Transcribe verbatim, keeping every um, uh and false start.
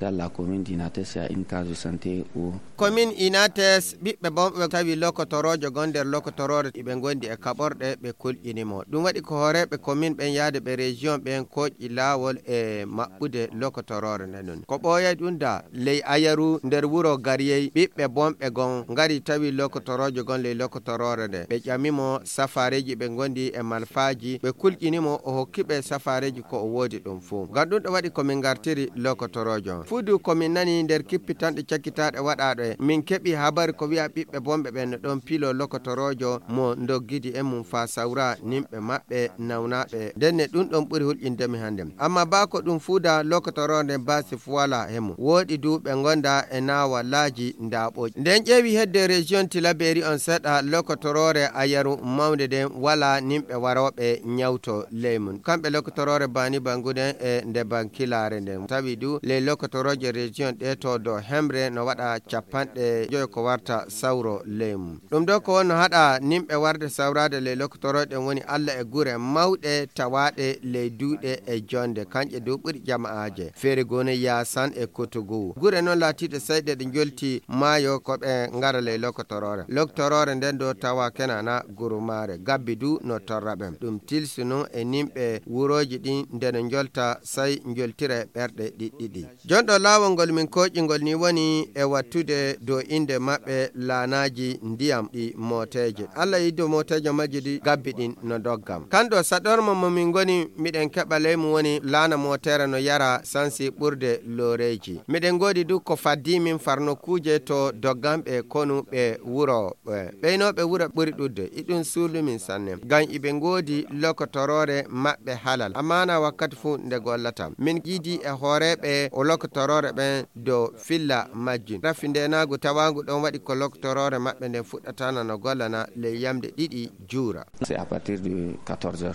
Dans la commune d'Inates, il y a une case de santé où Commune Inates, ɓiɓɓe bonɓe tawi lokotoroojo gon nder lokotoroore, iɓe ngondi e kaɓorɗe, ɓe kulƴini mo. Ɗum waɗi ko hooreeɓe commune ɓen yaade ɓe région ɓen koƴƴi laawol e maɓɓude lokotoroore nden. Ko ɓooyay ɗum da, ley Ayaru nder wuro Gariyey, ɓiɓɓe bonɓe gon ngari tawi lokotoroojo gon ley lokotoroore nde. Ɓe ƴami mo safaareeji ɓe ngondi e malfaaji, ɓe kulƴini mo, o hokki ɓe safaareeji ko o woodi ɗum fuu. Ngam ɗum ɗo waɗi ko min ngartiri lokotoroojo. Fuu du ko min nani nder kippitanɗe cakkitaaɗe waɗaaɗo e, min keɓi habari ko wi'a ɓiɓɓe bonɓe ɓen no ɗon pilo lokotoroojo mo ndoggidi e mum faa sawra nimɓe maɓɓe nawnaaɓe. Nden ne ɗum ɗon ɓuri hulƴinde mi hannde. Amma baa ko ɗum fuu da lokotoroo nden baasi fu walaa he mum. Wooɗi du ɓe ngonda e naawalaaji ndaaɓooji. Nden ƴeewi hedde région Tilaberi on seɗa lokotoroore Ayaru mawnde nden walaa nimɓe warooɓe nyawto ley mum. Kamɓe lokotoroore Baani Bangu nden e nde Bankilaare nden. Tawi du ley lokotorooje région ɗe to dow hemre no waɗa capanɗe joyo ko warta sawro ley mum. Ɗum ɗo ko wonno haɗa nimɓe warde sawraade ley lokotorooje ɗen woni Alla e gure mawɗe tawaaɗe ley duuɗe e jonde, kanƴe du ɓuri jama'aaje. Feere goo no Yaasan e Kotogu. Gure non laatiiɗe sayɗe ɗe njolti maayo ko ɓe ngara ley lokotoroore. Lokotoroore nden ɗo tawa kenana gurumaare. Gabbi du no torra ɓen. Ɗum tilsi non e nimɓe wurooji ɗin nde no njolta say njoltira e ɓerɗe ɗiɗɗiɗi. Jonɗo laawol ngol min kooƴi ngol ni woni e wattude dow innde maɓɓe laanaaji ndiyam ɗi mooteeje. Alla yiddo mooteeje majji ɗi gabbi ɗin no doggam. Kanɗo saɗorma mo min ngoni miɗen keɓa ley mum woni laana mooteere no yara sansi ɓurde looreeji. Miɗen ngoodi du ko faddii min far nokkuuje to dogganɓe konu ɓe wuro ɓe. Ɓeynooɓe wuro ɓuri ɗuuɗde, iɗum suuɗi min sanne. Ngam iɓe ngoodi lokotoroore maɓɓe halal. Amaana wakkati fuu nde gollata. Min yiidi e hooreeɓe o lokotoroore ɓen dow filla majjum. Rafi ndeenaagu tawaangu ɗon waɗi ko lokotoroore maɓɓe nden fuɗɗatana no gollana ley yamde ɗiɗi juura. C'est à partir de quatorze heures.